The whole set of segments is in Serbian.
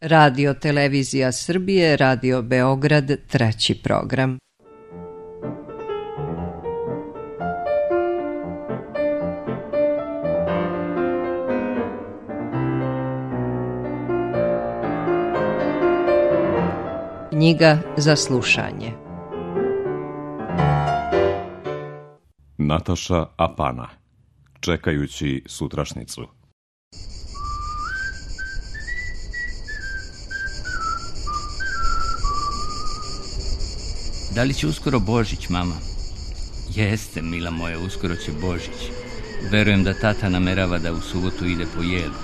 Radio Televizija Srbije, Radio Beograd, 3. program. Knjiga za slušanje. Nataša Apana. Čekajući sutrašnicu. Da li će uskoro Božić, mama? Jeste, mila moja, uskoro će Božić. Verujem da tata namerava da u subotu ide po jelku.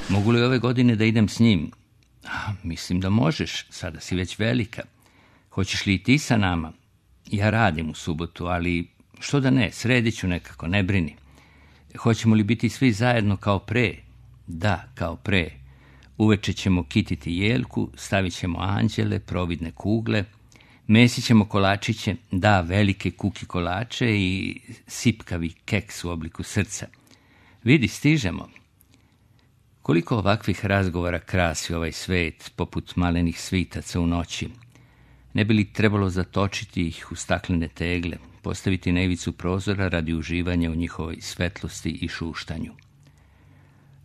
Mogu li ove godine da idem s njim? Mislim da možeš, sada si već velika. Hoćeš li i ti sa nama? Ja radim u subotu, ali što da ne, sredit ću nekako, ne brini. Hoćemo li biti svi zajedno kao pre? Da, kao pre. Uveče ćemo kititi jelku, stavit ćemo anđele, providne kugle, mesit ćemo kolačiće, da, velike kuki kolače i sipkavi keks u obliku srca. Vidi, stižemo. Koliko ovakvih razgovora krasi ovaj svet, poput malenih svitaca u noći. Ne bi li trebalo zatočiti ih u staklene tegle, postaviti na ivicu prozora radi uživanja u njihovoj svetlosti i šuštanju.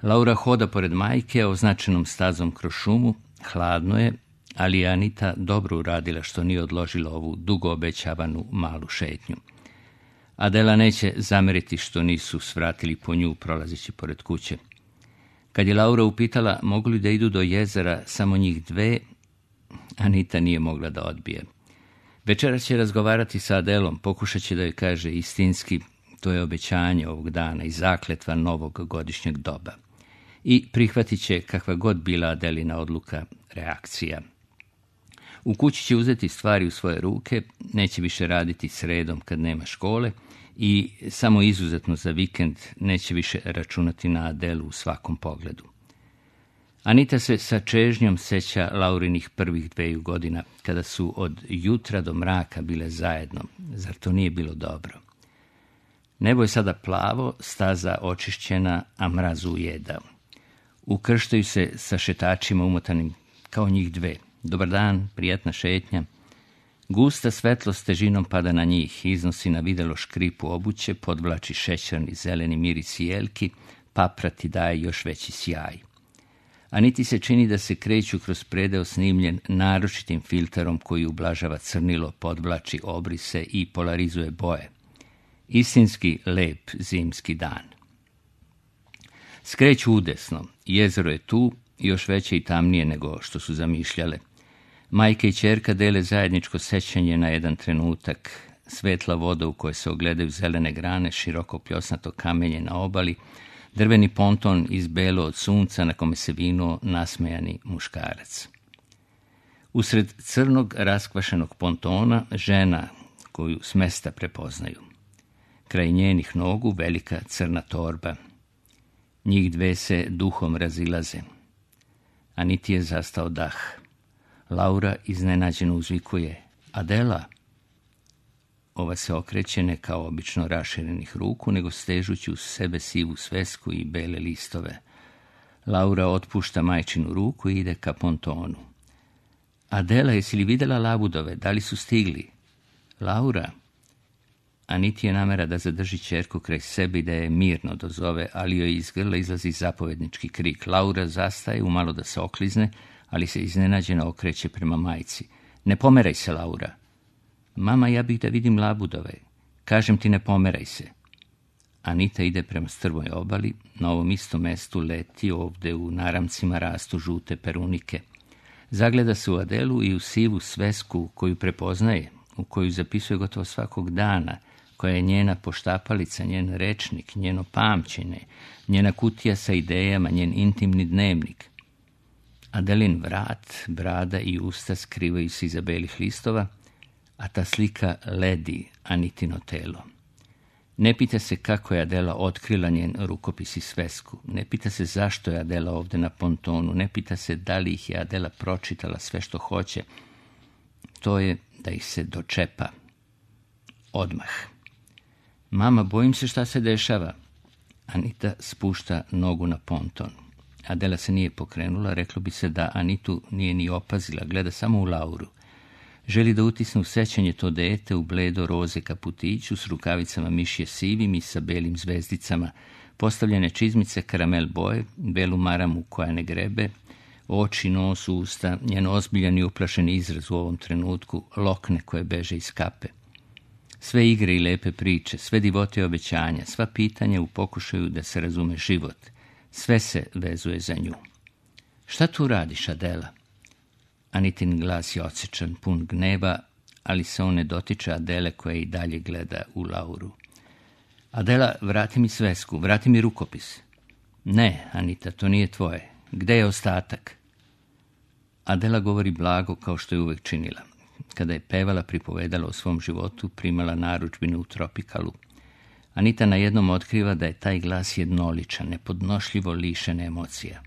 Laura hoda pored majke označenom stazom kroz šumu, hladno je, ali je Anita dobro uradila što nije odložila ovu dugo obećavanu malu šetnju. Adela neće zameriti što nisu svratili po nju prolazeći pored kuće. Kad je Laura upitala mogu li da idu do jezera samo njih dve, Anita nije mogla da odbije. Večeras će razgovarati sa Adelom, pokušat će da joj kaže istinski, to je obećanje ovog dana i zakletva novog godišnjeg doba. I prihvatit će kakva god bila Adelina odluka, reakcija. U kući će uzeti stvari u svoje ruke, neće više raditi sredom kad nema škole i samo izuzetno za vikend neće više računati na Adelu u svakom pogledu. Anita se sa čežnjom seća Laurinih prvih 2 godina, kada su od jutra do mraka bile zajedno. Zar to nije bilo dobro? Nebo je sada plavo, staza očišćena, a mraz ujedao. Ukrštaju se sa šetačima umotanim kao njih dve. Dobar dan, prijatna šetnja. Gusta svetlost težinom pada na njih, iznosi na videlo škripu obuće, podvlači šećerni zeleni miris jelki, paprati daje još veći sjaj. Aniti se čini da se kreću kroz predeo snimljen naročitim filterom koji ublažava crnilo, podvlači obrise i polarizuje boje. Istinski lep zimski dan. Skreću udesno, jezero je tu, još veće i tamnije nego što su zamišljale. Majka i ćerka dele zajedničko sećanje na jedan trenutak, svetla voda u kojoj se ogledaju zelene grane, široko pljosnato kamenje na obali, drveni ponton izbelo od sunca na kome se vinuo nasmejani muškarac. Usred crnog raskvašenog pontona žena koju s mesta prepoznaju. Kraj njenih nogu velika crna torba. Njih dve se duhom razilaze. Aniti je zastao dah. Laura iznenađeno uzvikuje: Adela! Ova se okreće ne kao obično raširenih ruku, nego stežući uz sebe sivu svesku i bele listove. Laura otpušta majčinu ruku i ide ka pontonu. Adela, jesi li vidjela labudove? Da li su stigli? Laura! Aniti je namera da zadrži ćerku kraj sebe i da je mirno dozove, ali joj iz grla izlazi zapovednički krik. Laura zastaje, umalo da se oklizne, ali se iznenađeno okreće prema majci. Ne pomeraj se, Laura. Mama, ja bih da vidim labudove. Kažem ti, ne pomeraj se. Anita ide prema strmoj obali, na ovom istom mestu leti, ovde u naramcima rastu žute perunike. Zagleda se u Adelu i u sivu svesku koju prepoznaje, u koju zapisuje gotovo svakog dana, koja je njena poštapalica, njen rečnik, njeno pamćenje, njena kutija sa idejama, njen intimni dnevnik. Adelin vrat, brada i usta skrivaju se iza belih listova, a ta slika ledi Anitino telo. Ne pita se kako je Adela otkrila njen rukopis i svesku, ne pita se zašto je Adela ovde na pontonu, ne pita se da li ih je Adela pročitala sve što hoće. To je da ih se dočepa. Odmah. Mama, bojim se šta se dešava. Anita spušta nogu na ponton. Adela se nije pokrenula, reklo bi se da Anitu nije ni opazila, gleda samo u Lauru. Želi da utisne u sećanje to dete u bledo roze kaputiću s rukavicama mišje sivim i sa belim zvezdicama, postavljene čizmice karamel boje, belu maramu koja ne grebe, oči, nos, usta, njen ozbiljan i uplašen izraz u ovom trenutku, lokne koje beže iz kape. Sve igre i lepe priče, sve divote i obećanja, sva pitanja u pokušaju da se razume život, sve se vezuje za nju. Šta tu radiš, Adela? Anitin glas je odsečan, pun gneva, ali se on ne dotiče Adele koja i dalje gleda u Lauru. Adela, vrati mi svesku, vrati mi rukopis. Ne, Anita, to nije tvoje. Gde je ostatak? Adela govori blago kao što je uvek činila. Kada je pevala, pripovedala o svom životu, primala narudžbinu u Tropikalu. Anita najednom otkriva da je taj glas jednoličan, nepodnošljivo lišen emocija.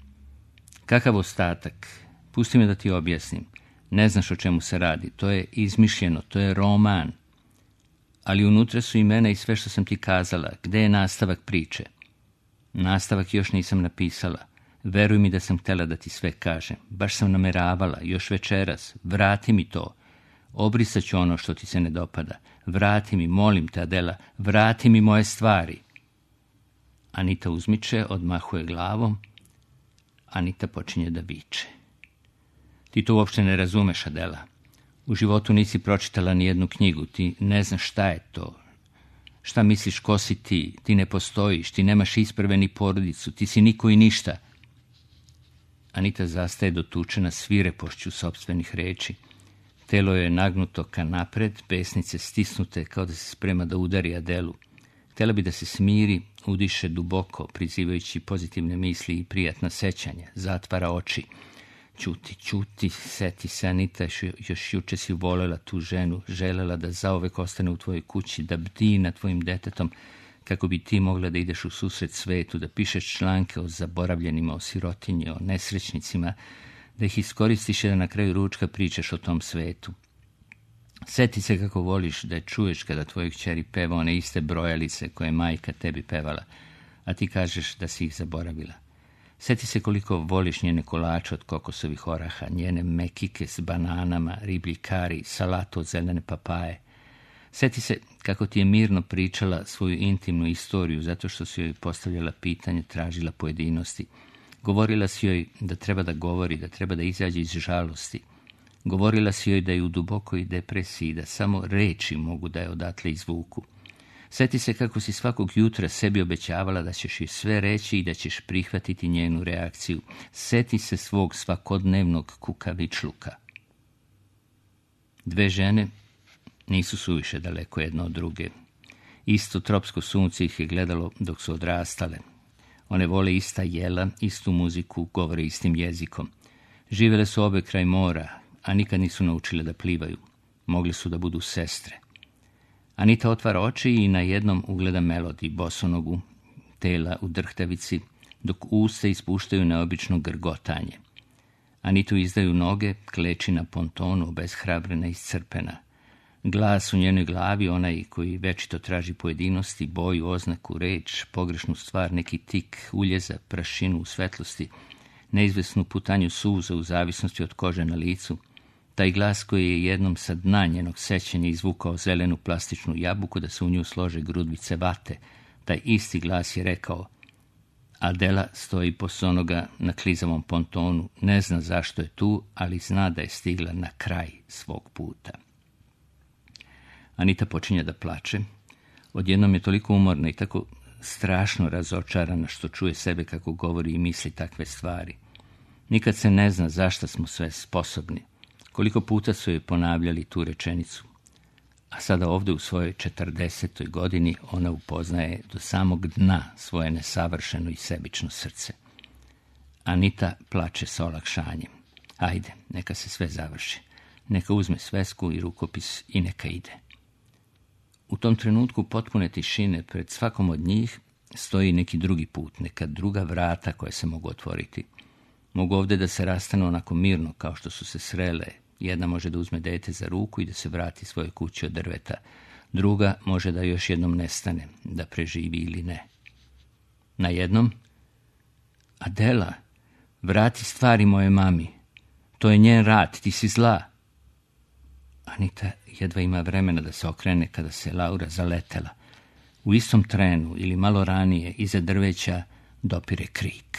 Kakav ostatak? Pusti me da ti objasnim. Ne znaš o čemu se radi. To je izmišljeno, to je roman. Ali unutra su imena i sve što sam ti kazala. Gde je nastavak priče? Nastavak još nisam napisala. Veruj mi da sam htjela da ti sve kažem. Baš sam nameravala, još večeras. Vrati mi to. Obrisat ću ono što ti se ne dopada. Vrati mi, molim te, Adela, vrati mi moje stvari. Anita uzmiče, odmahuje glavom. Anita počinje da viče. Ti to uopšte ne razumeš, Adela. U životu nisi pročitala ni jednu knjigu, ti ne znaš šta je to. Šta misliš, ko si ti? Ti ne postojiš, ti nemaš isprve ni porodicu, ti si niko i ništa. Anita zastaje dotučena svirepošću sopstvenih reči. Telo je nagnuto ka napred, pesnice stisnute kao da se sprema da udari Adelu. Htjela bi da se smiri, udiše duboko, prizivajući pozitivne misli i prijatna sećanja, zatvara oči. Ćuti, seti se, Anita, još juče si volela tu ženu, želela da zauvek ostane u tvojoj kući, da bdi nad tvojim detetom, kako bi ti mogla da ideš u susret svetu, da pišeš članke o zaboravljenima, o sirotinji, o nesrećnicima, da ih iskoristiš i da na kraju ručka pričaš o tom svetu. Seti se kako voliš da je čuješ kada tvojoj kćeri peva one iste brojalice koje je majka tebi pevala, a ti kažeš da si ih zaboravila. Seti se koliko voliš njene kolače od kokosovih oraha, njene mekike s bananama, riblji kari, salatu od zelene papaje. Seti se kako ti je mirno pričala svoju intimnu istoriju zato što si joj postavljala pitanje, tražila pojedinosti. Govorila si joj da treba da govori, da treba da izađe iz žalosti. Govorila si joj da je u dubokoj depresiji, da samo reči mogu da je odatle izvuku. Seti se kako si svakog jutra sebi obećavala da ćeš joj sve reći i da ćeš prihvatiti njenu reakciju. Seti se svog svakodnevnog kukavičluka. Dve žene nisu suviše daleko jedna od druge. Isto tropsko sunce ih je gledalo dok su odrastale. One vole ista jela, istu muziku, govore istim jezikom. Živele su obe kraj mora, a nikad nisu naučile da plivaju. Mogli su da budu sestre. Anita otvara oči i na jednom ugleda Melodi, bosonogu, tela u drhtavici, dok usta ispuštaju neobično grgotanje. Anitu izdaju noge, kleči na pontonu, obeshrabrena i iscrpena. Glas u njenoj glavi, onaj koji večito traži pojedinosti, boju, oznaku, reč, pogrešnu stvar, neki tik, uljeza, prašinu u svetlosti, neizvesnu putanju suza u zavisnosti od kože na licu, taj glas koji je jednom sa dna njenog sećanja izvukao zelenu plastičnu jabuku da se u nju slože grudvice vate, taj isti glas je rekao: Adela stoji posonoga na klizavom pontonu, ne zna zašto je tu, ali zna da je stigla na kraj svog puta. Anita počinje da plače. Odjednom je toliko umorna i tako strašno razočarana što čuje sebe kako govori i misli takve stvari. Nikad se ne zna zašto smo sve sposobni. Koliko puta su joj ponavljali tu rečenicu. A sada ovde u svojoj 40. godini ona upoznaje do samog dna svoje nesavršeno i sebično srce. Anita plače sa olakšanjem. Ajde, neka se sve završi. Neka uzme svesku i rukopis i neka ide. U tom trenutku potpune tišine pred svakom od njih stoji neki drugi put, neka druga vrata koje se mogu otvoriti. Mogu ovde da se rastanu onako mirno kao što su se srele. Jedna može da uzme dete za ruku i da se vrati svojoj kući od drveta. Druga može da još jednom nestane, da preživi ili ne. Na jednom: Adela, Vrati stvari moje mami. To je njen rad, ti si zla. Anita jedva ima vremena da se okrene kada se Laura zaletela. U istom trenu ili malo ranije iza drveća dopire krik.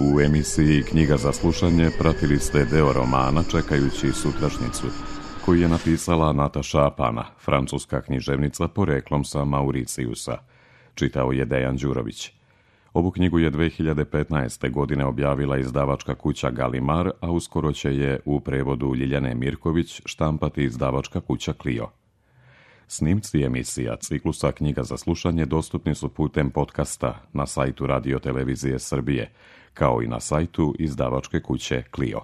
U emisiji Knjiga za slušanje pratili ste deo romana Čekajući sutrašnjicu, koji je napisala Nataša Apana, francuska književnica poreklom sa Mauricijusa. Čitao je Dejan Đurović. Ovu knjigu je 2015. godine objavila izdavačka kuća Galimar, a uskoro će je u prevodu Ljiljane Mirković štampati izdavačka kuća Clio. Snimci emisija ciklusa Knjiga za slušanje dostupni su putem podcasta na sajtu Radio Televizije Srbije, kao i na sajtu izdavačke kuće Clio.